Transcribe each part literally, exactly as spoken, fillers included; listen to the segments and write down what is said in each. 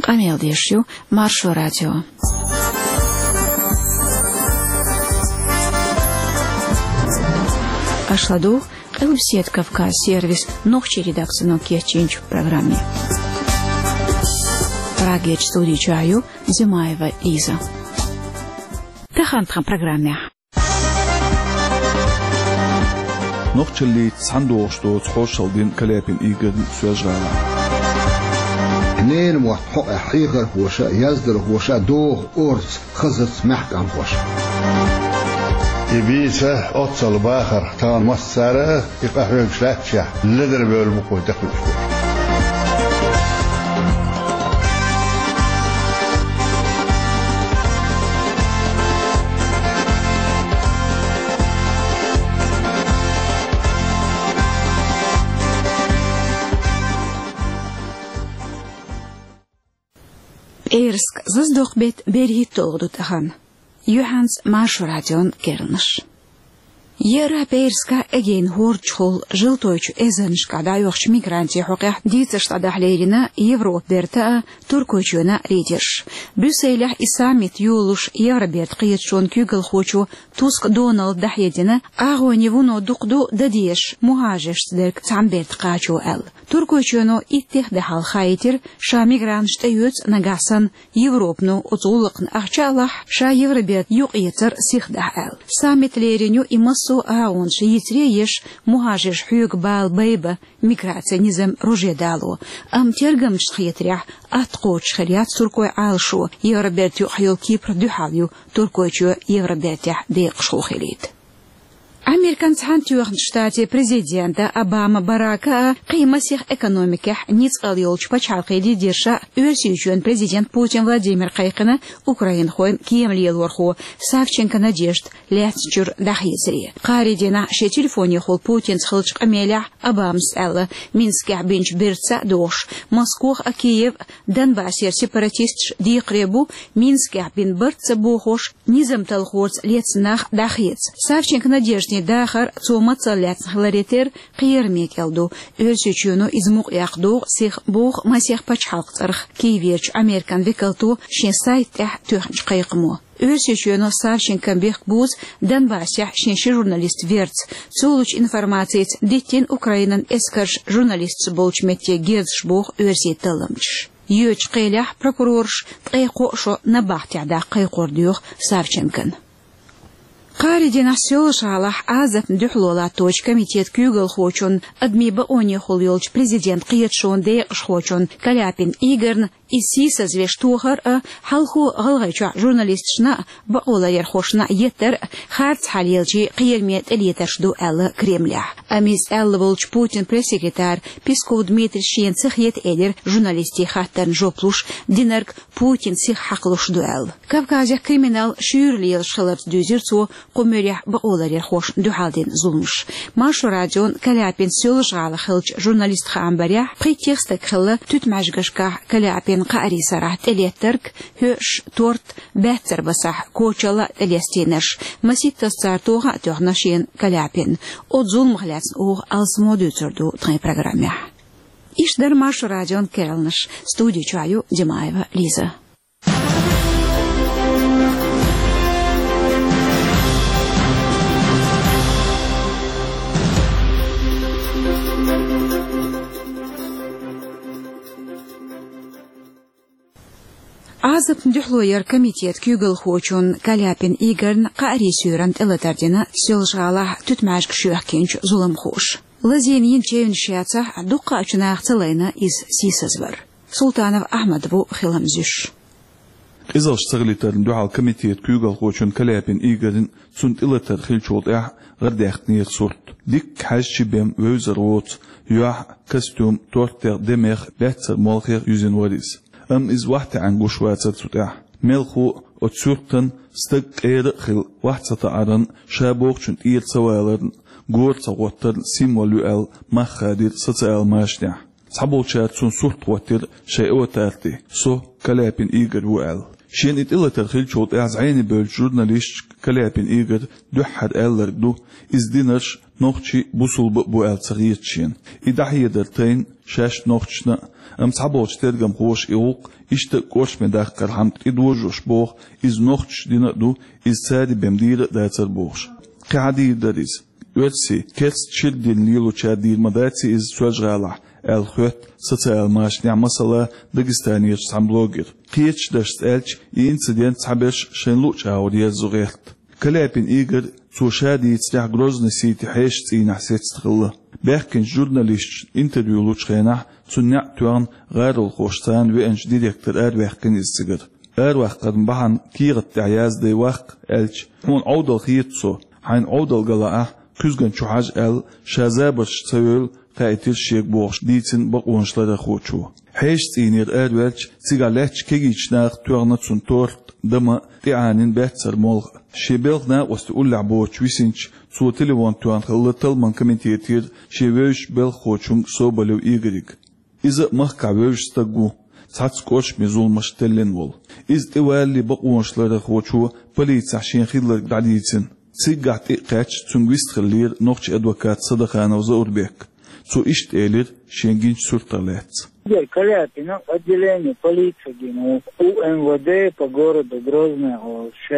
Къамел деш ю Маршо радио. Аша ладугӀу Къилбаседа Кавказ сервисан нохчийн редакцино кечйинчу программе. Прагерчу студи чохь ю Зимаева Лиза. Тахана тхан программехь. Нохчаллица цхьаьна догӀуш доцу хоршалла дина Каляпин Игорьна Соьлжа-ГӀалахь. Ненан мотт хьокъехь хьехархоша а, яздархоша а доху орца, хазарца маьхкамхоша. И бийца оццул бахарх тахана массара а и къахьоьгуш лаьтташехь ледара бевлла бу кхо тӀекхуьуш берш. ПӀераска зазадоккху беттан берхӀитталгӀа ду тахана. Юьхьанца Маршо радион керланаш. Еара пӀераска Эгейн хӀордачухула Желтойчу эзарнашкахь дӀайохучу мигрантийн хьокъехь дийцарш дӀадахьа лерина Европа бертан а, Туркойчоьнан а лидерш. Брюсселехь и саммит йолалуш Евробертан кхеташонан куьйгалхочо Туск Доналда дӀахьедина, агӀонийн вуно дукха ду дан дезаш мухӀажаршца дерг цхьана бертан кхачо аьлла. Туркойчоьно иттех де хьалха хаийтира, ша мигранташ тӀеоьцу нагахь санна, Европано оцу гӀуллакхна ахча а лахь, ша Евроберта юкъаэцар сиха дахь аьлла. Саммит лерина ю и массо а агӀонаш йийцаре а еш, мухӀажарш хьоьгу бала байбан, миграцин низам роже дало. Амма тергамчашна хетарехь, атта кхочуш хир яц туркойн Ӏалашо, Евроберта юкъахь йолу Кипр дуьхьал ю Туркойчоь Евробертехь декъашхо хилийта. Американ Цхьаьнатоьхначу Штатийн президента Обама Барака а, кхин масех экономикехь ницкъалла йолчу пачхьалкхийн лидерша а Оьрсийчоьнан президент Путин Владимир кхайкхина украинхойн кема лелорхо Савченко Надежда лаьцначуьра дӀахецаре. Кхаарин дийнахь шен телефонехула Путинца хиллачу къамелехь Обамас аьлла, Минскехь бинчу бертаца а догӀуш, Москох а, Киев а Донбассера сепаратисташ декхаре бу, Минскехь бина барт ца бохош, низам талхорца лецна нах дӀахеца. Савченко Надеждин дахар цо мацалла лаьцна хиларе терра кхераме кӀел ду. Оьрсийчоьно иза мукъаяккха догӀу сиха, боху масех пачхьалкхан цӀарах Киеверчу Американ векалто шен сайта тӀехь тоьхначу кхайкхамо. Оьрсийчоьно Савченкон бехк бузу Донбассехь шен ши журналист верца. Цо лучу информацица диттина Украинан эскарша журналисташ болчу метте герзаш, боху оьрсийн талламчаша. Йоьдучу кхелехь прокурорша ткъе кхоъ шо набахтехь даккха кхайкхор доьху Савченкона. Кхаарин дийнахь Соьлжа-ГӀалахь Ӏазапна дуьхьало латточу комитетан куьйгалхочун, адамийн бакъонехула йолчу президентан кхеташонан декъашхочун Каляпин Игорьна иза сийсазвеш тохар а, хьалхо ГӀалгӀайчохь журналисташна а, бакъоларъярхошна а еттар а харц хьал елчий кхераме тӀелетарш ду аьлла Кремлехь. Амма иза аьлла волчу Путинан пресс-секретара Песков Дмитрийс шена ца хета элира журналистийн хаттарна жоп луш, динарг Путин сиха хьакхалуш ду аьлла. Кавказехь криминал шуьйра лелаш хиларца дуьйзира цо кху муьрехь бакъоларъярхошна дуьхьал дина зуламаш. Маршо радион Каляпин Соьлжа-ГӀалахь хиллачу журналист хаам барехь, пхийтта стаг хилла туьтмӀаьжгашкахь Каляпин кхаарин сарахь тӀелеттарг, хӀоьш, торт, баьццара басахь кочалла а тӀелестийнарш. Масийттаза цара тоха а тоьхна шена Каляпинна. Оцу зуламах лаьцна оха алсамо дуьйцур ду тхайн программехь. Иштта дара Маршо радион керланаш. Студи чохь ю Димаева Лиза. Ӏазапна дуьхьало яран комитетан куьйгалхочун Каляпин Игорьна кхаарин суьйранна тӀелатар дина Соьлжа-ГӀалахь туьтмӀаьжгаш йоьхкинчу зуламхоша. Лазийна йина чевнаш яцахь а, дуккха а чу наха ца лайна иза сийсазвар. Султанов Ахьмад ву хилам зуьйш. Къизаллаш ца хилийтарна дуьхьал комитетан куьйгалхочун Каляпин Игорьна цунна тӀелатар хиллачул тӀаьхьа гӀардаьккхинера сурт. Дикка хьаьжча бен вевзар воцу, юьхь, костюм, тортех, демех, баьццара молхех юьзина вара иза. Амма иза вахтаьӀна гуш вацара цу тӀехь. Мелхо а, оцу суьртан стаг къера а хилла, вахт ца таӀаран, ша бохучун тӀера ца валаран, гора ца гӀоттаран символ ю аьлла, мах хадийра социал машанехь. Цхьаболчара цунна сурт гӀоттира шайн аватар тӀе: «Со Каляпин Игорь ву», – аьлла. Шен и тӀелатар хилчул тӀаьхьа зӀене бевллача журналисташка Каляпин Игора дуьххьара аьлларг ду, иза динарш нохчий, бусалба а бу аьлла ца хета шена. И дӀахьедар тайна шаьш нохчашна а, амма цхьаболча тергамхоша и гӀуллакх иштта а кӀоршаме даккхархьама тӀедожош боху, иза нохчаша дина а ду, иза цара бен дийр а дацар бохуш. Кхин хьан дийр дара иза? Оьрсийн керста шира дин лелочара дийр ма дац иза Соьлжа-ГӀалахь, аьлла хоьтту социал машанехь, масала, Дагестанерчу цхьана блогера. Кхечу дашца аьлча, и инцидент цхьаберш шайна луъучу агӀор ерзо гӀерта. Каляпин Игора, цо ша дийцарехь, Грозный-Сити хьешан цӀийнехь сецна хилла. Баьхкинчу журналисташна интервью лучу хенахь, цуьнан неӀ тоьхна, гӀаролхоша царна веанчу директора араваьккхина иза цигара. Араваккхаран бахьана кехат тӀехь яздай ваккха аьлча, хьуна Ӏовдал хета со, хьайна Ӏовдал ган лаахь, куьзгана чу хьажа аьлла, ша забарш ца йойла, хаийтира шега бохуш дийцина бакъонашларъярхочо. Хьешан цӀийнера араваьлча, цигахь лаьттачу кегийчу наха тоьхна цунна торт, дама, тӀеӀанийна баьццара молха. Шен белхан накъостий уллехь боцуш висинчу, цо телефон тоьхна хилла талламан комитетера шен вевзачу белхахочуьнга Соболев Игорьга. Иза а махкахь вевзаш стаг ву, цхьацца кӀоршаме зуламаш теллина волу. Иза тӀевалале бакъонашларъярхочо полицехь шена хилларг дӀадийцина. Циггахь тӀе а кхаьчча, цуьнга вистхиллера нохчийн адвокат Садаханов Заурбек. Цо иштта элира шен гинчу суьртах лаьцна. Игорь Каляпина отделение полиции гина ву, У М В Д по городу Грозный олуш,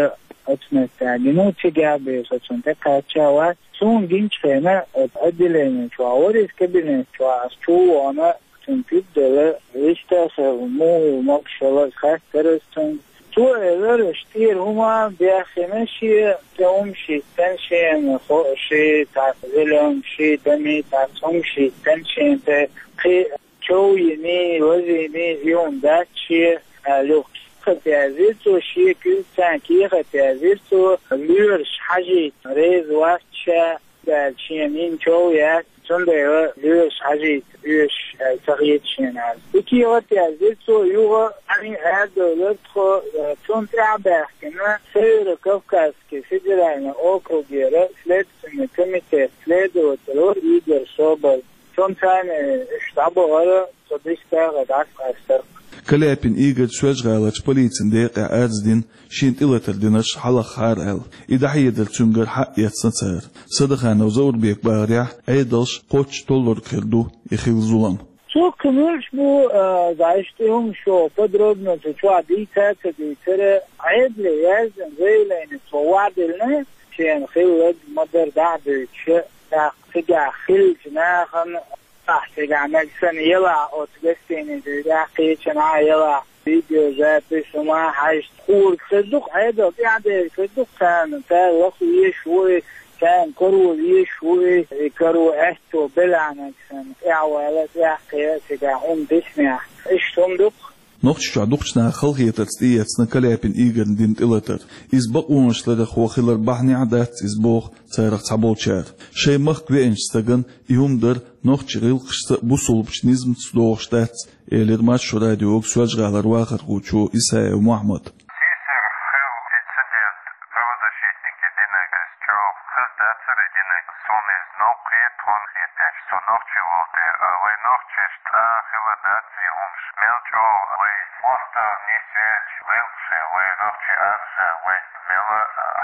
оцу меттехь гина ву, цигахь бен со цунна тӀекхаьчча вац. Суна гинчу хенахь, оцу отделение чохь вара иза, кабинет чохь, ас чу а вахана, цунна тидделла, вистхилла, муха могуш хилла, хаттар ас цуьнга. Цо элира, аша тӀера хӀума бехкина шен, тӀе хӀума шийтта шена, хо-, ши, цхьацца зелёнка, ши, дами, цхьацца хӀума шийтта шена, тӀе кхин чов йиний, лаз йиний, и хӀума дац шен, аьлла, юха кехат яздира цо, шен куьйга царна кехат яздира цо, лоьраш хьажийта реза вац ша, аьлла, шена йина чов яц, цундела лоьраш хьажийта оьшу, аьлла, ца хета шена, аьлла. И кехат яздира цо, юха Ӏаьнан арадевлира тхо, э, цунна тӀаьхьа баьхкина Северо-Кавказский федеральный округера следственный комитет следователь вара Игорь Соболь. Цунна царна уьш дӀабахара, со дистагӀа дӀасакъастара. Каляпин Игорь Соьлжа-ГӀаларчу полицин декъехь арз дина, шена тӀелатар динарш хьалахахьара аьлла. И дӀахьедар цуьнгара хьаэцна цара. Садаханов Заурбека бахарехь, Ӏедалш кхоччуш толлург хир ду и хилла зулам. Цо кхин муьлш бу, а, зайш тӀе хӀума шо подробно цу чохь дийца а ца дийцара, Ӏедале яздина заявление цо ваьӀделла, шена хилларг ма-дарра дӀа а дуьйцуш, тӀаккха цигахь хиллачу нахана, ахь цигахь мега санна елахь, оцу гостиницин тӀехь кхечанхьа елахь, видеозапись хӀума хьаьжча, хӀорг хир ду-кх, Ӏедал тӀаьхьа дерг хир ду-кх царна, цара лаха везаш ву и, царна каро везаш ву и, и каро аьтто белахь мега санна, тӀаьхьавала, тӀаьхьакхера цигахь хӀума дисинехь. Иштта хӀума ду-кх. Нохчийчохь дукхачу наха халахетарца тӀеэцна Каляпин Игорьна дина тӀелатар. Иза бакъонашларъярхо хилар бахьанехь а дац иза боху царах цхьаболчара. Шайн махка веанчу стагана и хӀума дар нохчийн гӀиллакхашца а, бусалбачу низамца а догӀуш дац, элира Маршо радиога Соьлжа-ГӀалара вахархочо Исаев Мохьмада. Сийсара хилла инцидент, правозащитники динарг, иза чӀогӀа хаза дацара и динарг, суна иза новкъа хета, тхуна хеташ, со нохчи волу дела, а вай нохчашна цкъа а хилла дац и хӀумаш. Мел чӀогӀа вай хӀоттам нисвелча, гӀиллакхаш, вай нохчийн архаш, вай мел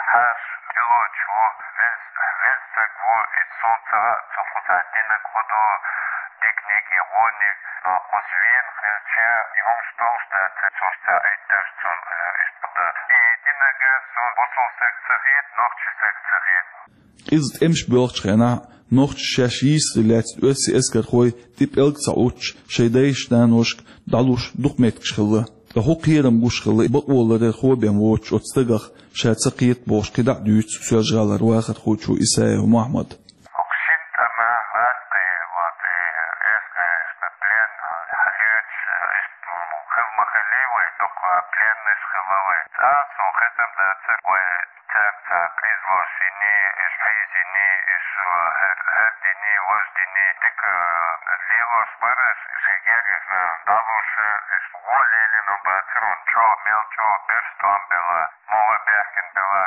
хьаша тилочо ву, веза, веза стаг ву, иза суна ца хаьа, цо кхузахь динарг хӀун ду, диканиг я вониг, но кхуза вена хилча, и хӀумаш долуш дац, цо ца Ӏиттарш цунна, э, иштта дан. И динарг суна бусалба стаг ца хета, нохчи стаг ца хета. Къиза тӀемаш боьлхучу хенахь нохчаша шаьш йийсаре лаьцна оьрсийн эскархой тӀе пӀелг ца Ӏуттуш, шайн дайшка-наношка дӀалуш дукха меттигаш хилла. Ткъа хӀун кхерам гуш хилла бакъоларъярхо бен воцучу оцу стагах, ша ца кхета бохуш, кхидӀа а дуьйцу Соьлжа-ГӀалара вахархочо Исаев Мохьмада. ХӀокху шина тӀамах лаьцна, вот, и эскаршна плен хьалоьцуш, иштта хила ма хиллий вай, дукха пленныйш хилла вай. Цкъа а суна хетам дацара вай цаьрца къизаллаш йиний, уьш хьийзийний, уьш хӀара, хӀара диний, важа диний, дика лелош бара уьш, шайн гергашна дӀалуш, уьш гӀо лелийна бацара, хӀунда чӀогӀа, мел чӀогӀа берш тӀом белла, муха баьхкина белла.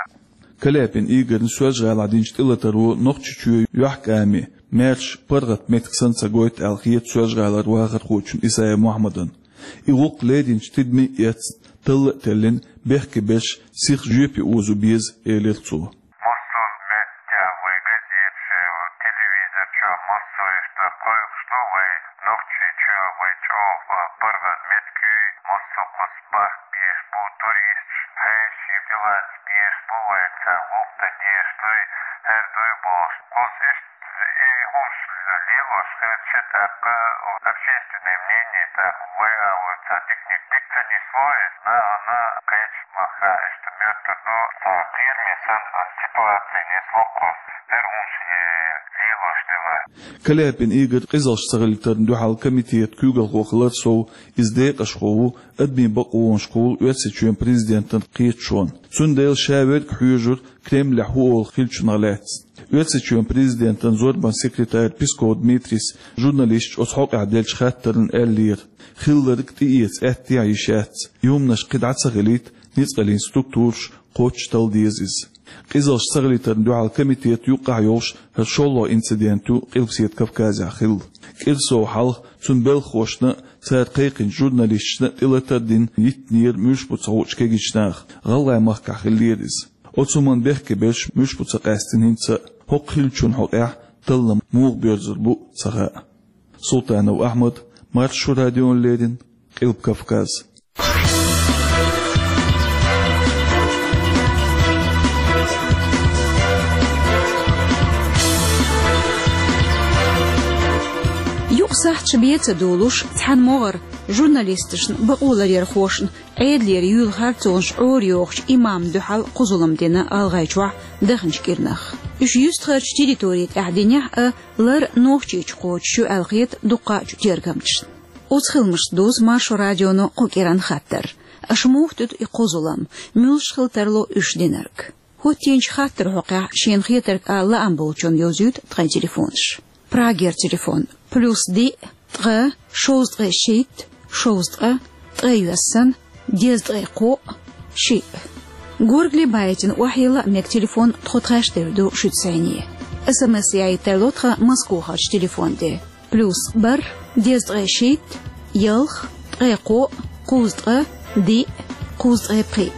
Каляпин Игорьна Соьлжа-ГӀалахь динчу тӀелатаро Нохчийчоь йохкаме, маьрша паргӀат меттиг санна ца гойту аьлла хета Соьлжа-ГӀалара вахархочунна Исаев Мохьмадана. И гӀуллакх леринчу тидаме а эцна, талла а теллина, бехке берш сиха жоьпе озо беза, элира цо. Массо а меттехь вай газеташ, телевизор чохь массо а иштта кхойкхуш ду вай Нохчийчоь, вай чӀогӀа паргӀат меттиг ю, массо а кхузахь барт беш бу туристаш, хьеший билац беш бу вай, царна гӀуллакх дан дезаш дуй, хӀара дуй бохуш. Кхузахь иштта и хӀумаш лелош хилча, тӀаккха общественное мнение, тӀаккха вай а вай цхьа диканиг дика ца нисло, иза нахана кхечу махкахь иштта моьттур ду, цхьа кхераме санна ситуаци нисло кхузахь, хӀара хӀумаш лелош делахь. Каляпин Игорь къизаллаш ца хилийтарна дуьхьал комитетан куьйгалхо хилар сов, иза декъашхо ву адамийн бакъонашкахула Оьрсийчоьнан президентан кхеташонан. Цундела ша верг хьоьжура Кремлехь хӀун олу хиллачух лаьцна. Оьрсийчоьнан президентан зорбанан секретарь Песков Дмитрийс журналисташа оцу хьокъехь деллачу хаттарна аьллера: хилларг тӀеэца аьттехьа йиш яц, и хӀуманаш кхин дӀа ца хилийта, ницкъаллин структураш кхоччуш талла деза иза. Къизаллаш ца хилийтарна дуьхьал комитетан юккъехь йолуш хӀара шолгӀа инцидент ю Къилбаседа Кавказехь хилла. КӀира сов хьалха цуьнан белхахошна а, цара кхайкхинчу журналисташна а тӀелатар а дина йиттинера Муьлш-Буц хуучу кегийчу наха, ГӀалгӀайн махкахь хиллера иза. Оцу хӀуманна бехке берш Муьлш-Буцехь къаьстина хӀинца а. ХӀокху хиллачун хьокъехь таллам муха боьрзур бу ца хаьа. Султанов Ахьмад, Маршо радиона леррина, Къилба Кавказ. Юкъ сахьташ бен ца долуш, цхьана могӀара журналисташна, бакъоларъярхошна Ӏедалера юьйлу харцонаш Ӏорайохучу имамна дуьхьал кху зулам дина ГӀалгӀайчохь даханчу кӀирнах. Уьш юьстахарчу территори тӀехь динехь а, лар Нохчийчу кхочуш ю аьлла хета дуккхаъчу тергамчашна. Оцу хиламашца дузу Маршо радионо кху кӀиранна хаттар: аша муха туьду и кху зулам, муьлш хила тарло уьш динарг? ХӀоттийначу хаттаран хьокъехь шена хетарг ала лаам болчунна йовзуьйту тхайн телефонаш. Прагера телефон: плюс диъ, ткъа, шовзткъе шийтта, шовзткъа, ткъе йоьссана, дезткъе кхоъ, шиъ. Горгали байтина охьайилла а мега телефон тхо тхаьш девр ду шуьца сайне. СМС яийта тарло тхан Москохарчу телефон тӀе: плюс бархӀ, дезткъе шийтта, ялх, ткъе кхоъ, кхузткъа, диъ, кхузткъе пхиъ.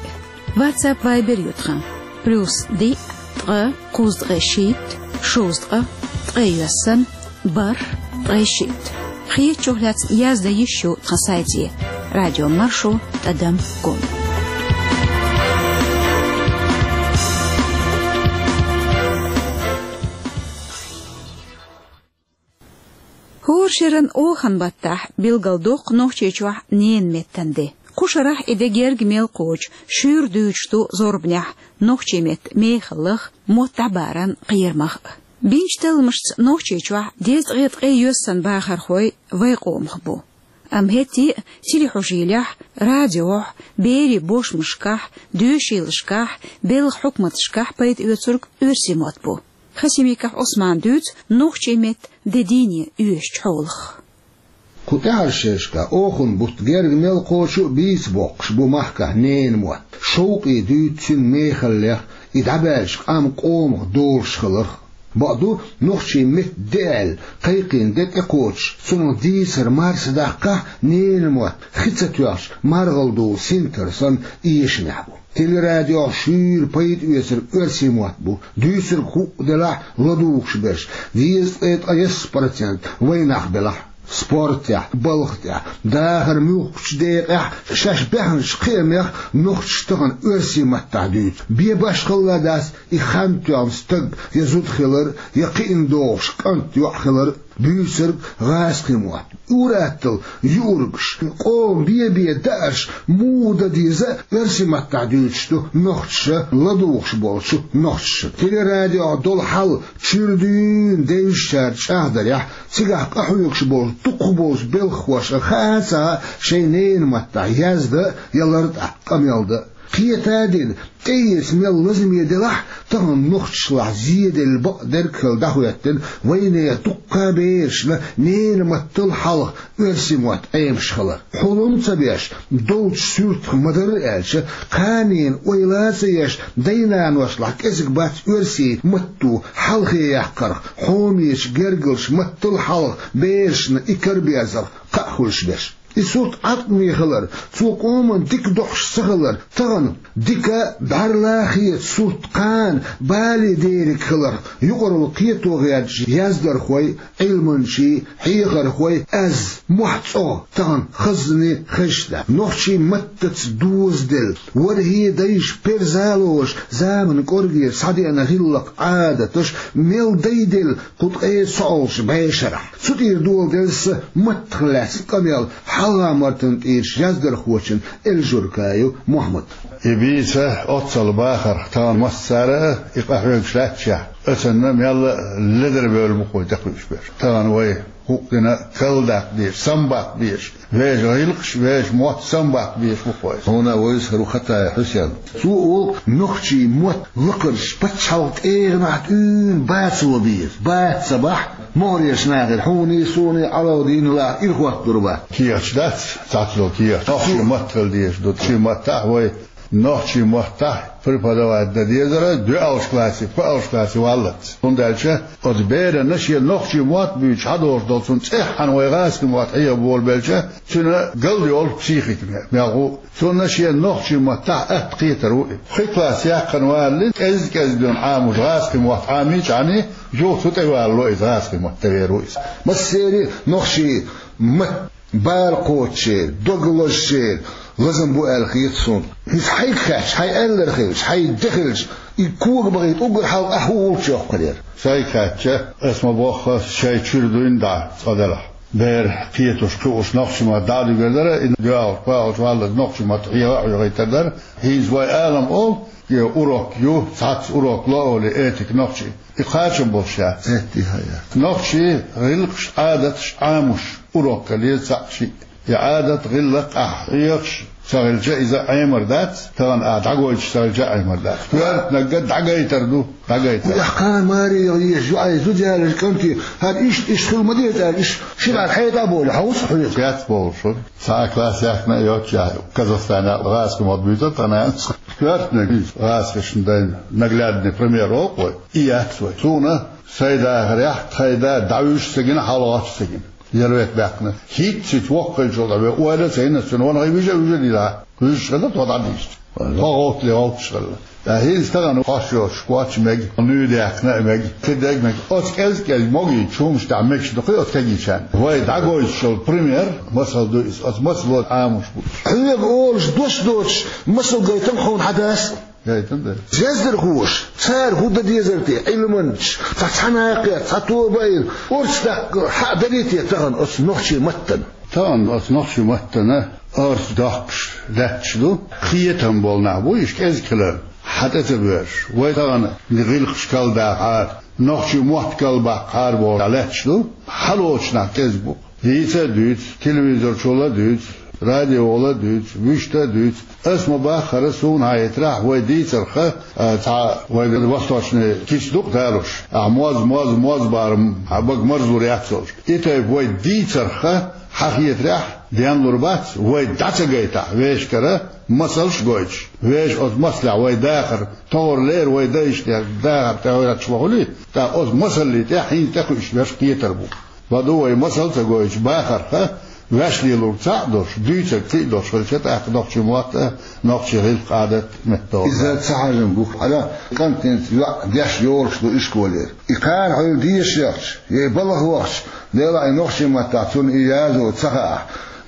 WhatsApp, Viber ю тхан: плюс диъ, ткъа, кхузткъе шийтта, шовзткъа, ткъе йоьссана, бархӀ, ткъе шийтта. Хетачух лаьцна яздан йиш ю тхан сайте: радиомаршо тӀадам ком. ХӀора шеран оханан баттахь билгалдоккху Нохчийчохь ненан меттан де. Кху шарахь и де герга мел кхочу шуьйра дуьйцуш ду зорбанехь нохчийн меттан мехаллах, мотт дӀабаран кхерамах а. Бинчу талламашца Нохчийчохь дезткъе ткъе йоьссана бахархой вайн къомах бу. Амма хӀетте а телехьожийлехь, радиохь, берийн бошмашкахь, доьшийлашкахь, белхан хьукматашкахь пайда оьцург оьрсийн мотт бу. Хасимиков Ӏусмана дуьйцу нохчийн меттан де дийне оьшучу хьолах. Кху тӀаьхьарчу шерашкахь оханан бутт герга мел кхочу а бийца боккхуш бу махкахь ненан мотт. Шовкъе дуьйцу цуьнан мехаллех, и дӀабаьлча къам къомах долуш хиларх. Бакъду, нохчийн меттан де аьлла кхайкхийна де тӀекхочуш, цунах дийцар марса даккхахь, ненан мотт хи ца тоьхча маргӀал долу синтар санна эшамехь бу. Телерадиох шуьйра пайда оьцург оьрсийн мотт бу, дуьйцург хӀуъа делахь а ладугӀуш берш, дезткъе ткъайесна процент вайн нах белахь а. Спортехь, балха тӀехь, дахаран муьлххачу декъехь шаьш баьхначу кхиамех нохчаша тахана оьрсийн маттахь дуьйцу. Бен башхалла дац и хан тоьхна стаг я зуда хилар, я кхиъна догӀуш кӀант, йоӀ хилар. Буьйцург гӀазкхийн мотт. Ур-атталла юургаш, къоман бен-бен даарш муха дан деза а, оьрсийн маттахь дуьйцуш ду нохчаша, ладугӀуш болчу нохчаша. Телерадиох долу хьал чуьра дуьйна девзачара чӀагӀдарехь, цигахь къахьоьгуш болчу дукхахболчу белхахошка хаа а ца хаьа шайн ненан маттахь яздан а, я лартӀехь къамел дан а. Кхета а дина, тӀеэца мел лазаме делахь а, тахана нохчашлахь зеделла бакъдерг а хилла дӀахӀоьттина вайнехан дуккха а берашна ненан маттал хьалха оьрсийн мотт Ӏемаш хилар. Хьулам а ца беш, долчу суьртах ма-дарра аьлча, кханенан ойла а ца еш, дай-наношлахь кӀезиг бац оьрсийн матто хьалхе яккхарх, хьомечу гергарчу маттал хьалха берашна и караберзарх кхаъ хуьлуш берш. И сурт Ӏаткъаме хилар, цо къоман дика дохьуш ца хилар, тахана дика бӀаьрла хета сурт кхана бале дерриг хиларх, юкъарал кхето гӀерташ яздархой, Ӏилманчий, хьехархой, аз мохь цӀогӀа тахана хаззане хезаш дац. Нохчийн маттаца дозаделла, вархӀе дайша перзалош, заман кӀоргера схьадеана гӀиллакх, Ӏадаташ мел дайделла кху ткъе цхьолчу бӀешарахь. Цу тӀера доладелла сан маттах лаьцна къамел хьалха-мартан тӀерачу яздархочун Эльжуркаев Мухьаммадан. И бийца оццул бахарх тахана массара а и къахьоьгуш лаьтташехь, оцунна мелла а ледара бевлла бу-кх вай тӀекхуьуш берш. Тахана вай гӀуллакх дина калдаккха дезаш, самбаккха дезаш, вешан гӀиллакхаш, вешан мотт самбаккха дезаш бу-кх вай. Хьуна вайса хӀара ву Хатаев Хьусен. Цо олу, нохчийн мотт лакхарчу пачхьалкхан тӀегӀанехь тӀуьйна бацо беза. Бац ца бахь, могӀарерчу нахера, хьуний, суний, Ӏалавдиний лаахь, ирхӀотталур бац. Кехаташ дац, цхьацца долу кехаташ. Нохчийн мотт хила дезаш ду, шен маттахь вай. Нохчийн маттахь преподавать дан дезара доьалгӀачу классе, пхоьалгӀачу классе валлалц. ХӀунда аьлча оцу берана шен нохчийн мотт буьйцуш хьадолуш долу цунна цӀеххьана вай гӀазкхийн мотт хьеха болабелча, цуьнан галдайолу психика мел гӀу. Цунна шен нохчийн маттахь атта кхетар ву и. Пхи класс яьккхина валале, кӀезиг-кӀезиг дуьйна Ӏамош гӀазкхийн мотт Ӏамийча, юха цу тӀе валало иза, гӀазкхийн мотт тӀе вер ву иза. Массеран а нохчийн мотт бала кхочушъеран, дог лозучеран лазам бу аьлла хета суна. Иза хьайга хаьттича, хьайн аьлларг хилча, хьайн де хилча, и кога бахийта уггар хьалха ахь хӀун гӀулч йоккхур яра? Сайга хаьттича, ас ма бохху, шайн чуьра дуьйна дӀа цкъа делахь. Бер кхеташ, кхуьуш нохчийн мотт дӀа а дуьгур дара, и доьалгӀа, пхоьалгӀа валлалц нохчийн мотт хьеха а хьоьхуьйтур дара. ХӀинца вай алам олу, и урок ю, цхьацца урок ло олий, этика нохчийн. И кхачам болуш яц. Этта хьан яц. Нохчийн гӀиллакхаш, Ӏадаташ Ӏамош урок хила еза цхьаъ-шиъ. И Ӏадат, гӀиллакх ахь хьоьхуш ца хилча, иза Ӏемар дац, тахана ахь дӀагойтуш ца хилча а Ӏемар дац. Коьртаниг дӀагайтар ду, дӀагайтар. Кхана маре яхьа езаш ю, ай зуда яларчу кӀанте, хӀара иштта, иштта хила ма деза аьлла, иштта ши бӀаьрг хьайта а бовлий, хьовса а хьоьгу. Кеца бовлуш ву. Цхьа а класс яьккхина а йоццушехь, Казахстане гӀазкхийн мотт буьйцура тахана. Коьртаниг иза гӀазкхашна дайна наглядный пример олу-кх вай. И яц вай. Суна сайн дахарехь тхайн да дӀавуьжуш ца гина, хьалагӀоттуш ца гина. Ялвет баьккхина. ХӀинццалц воккха хилчул тӀаьхьа вай ойла а ца йина, цуьнан ванхий вижа а вижа дина. Вуьжуш хилла, тхо дӀадийшича. Тхо гӀовттале гӀовтташ хилла. Ткъа хӀинца тахана кхош йоцуш, коча мега, нуй даьккхина а мега, кхин дерг мега. Оцу кӀезиг-кӀезиг могийчу хӀуманаш тӀехь мегаш ду-кх оцу кегийчарна. Вай дӀагойтуш йолу пример, масал ду иза. Оцу масало Ӏамош бу. Хьоьга олуш дош доцуш, масал гайтам хьуна хьан дас? Гайтам ду. Яздархоша, цара хӀун дан дезара те, Ӏилманчаш, цхьа цхьана а кхетта, цхьа тоба а йина, орца даккха хьаъ дарий те тахана оцу нохчийн маттана? Тахана оцу нохчийн маттана орца доккхуш лаьтташ ду, кхетам болу нах бу, иштта кӀезиг хилар хьан тӀе ца боьрзуш. Вай тахана гӀиллакхаш калдахьара, нохчийн мотт калбаккхахьара бохуш лаьтташ ду, хьалоцу нах кӀезиг бу. Дийца а дуьйцу, телевизор чул а дуьйцу, радиол а дуьйцу, вуьшта а дуьйцу. Ас ма баххара, суна хетарехь, вай дийцарх, а, цхьа вай восточный кица ду-кх далуш. Ахь моз, моз, моз бахарх, хьан бага марзлур яц олуш. И тайпа вай дийцарх, хьан хетарехь, денлур бац, вай дӀа ца гайтахь, вешан кара масалш а гойтуш. Вешан оцу масалехь вай дахар, товр лер вай дайшна дахар тӀехь вай латташ ма хуьлий, тӀаккха оцу масаллий тӀехь хӀинца тӀекхуьуш берш кхетар бу. Ма ду вай масал ца гойтуш бахарх, ваьш лелорг цхьаъ а долуш, дуьйцург кхин а долуш хилча, тӀаккха нохчийн мотт а, нохчийн гӀиллакх, Ӏадат а меттахӀоттар. Иза ца хьажам бу-кх. Хьала кӀант хӀинца йоӀ деш йолуш ду ишколера. И кхана хьуьлла дезаш яхча, я и балха вахча, делахь и нохчийн маттахь цунна и язо ца хаахь,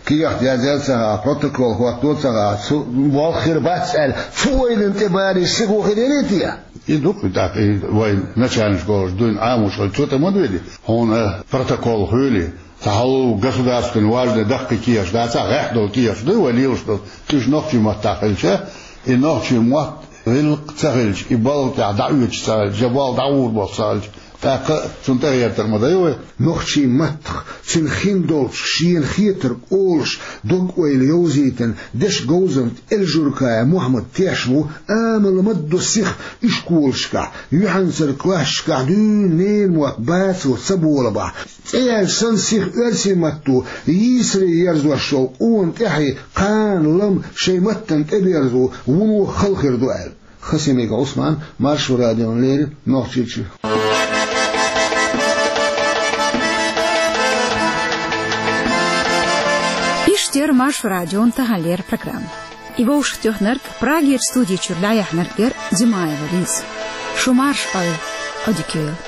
кехат язъяла ца хаахь, протокол хӀотто ца хаахь, цу болх хир бац аьлла, цу ойланна тӀе барий сихо хир ярий те? И ду-кх тӀаккха и вайн начальник школаш дуьйна Ӏамош хилча, цу тӀе ма дуьйли. Хьуна протокол хуьлий, цхьа хьалха государственный важный даккхий кехаташ дацахь, гӀехь долу кехаташ дуй вай лелаш долу, уьш нохчийн маттахь хилча, и нохчийн мотт, гӀиллакх ца хилча, и балха тӀехь дӀаоьцуш ца хилча, я болх дӀагӀур болуш ца хилча, тӀаккха цунна тӀегӀертар ма дай вай. Нохчийн маттах, цуьнан хин долчух шена хетарг олуш, дог-ойла йовзийтина дешан говзанча Эльжуркаев Мухьаммад тешна ву, амал ма-дду сиха ишколашкахь, юьхьанцара классашкахь дуьйна ненан мотт бацо ца болабахь, цӀе яьлча санна сиха оьрсийн матто йийсаре ерзош йолу къона тӀаьхье кхана-лама шайн маттана тӀеберзо вуно хала хир ду аьлла. Хасимиков Ӏусман, Маршо радиона леррина, Нохчийчоь. Иштта Эфирда Маршо радион тахан леррина программа. И вовшахтоьхнарг, Прагера студи чуьра дӀаяьхьнарг яр Димаева Лиза. Шу марша Ӏойла, Ӏодика йойла.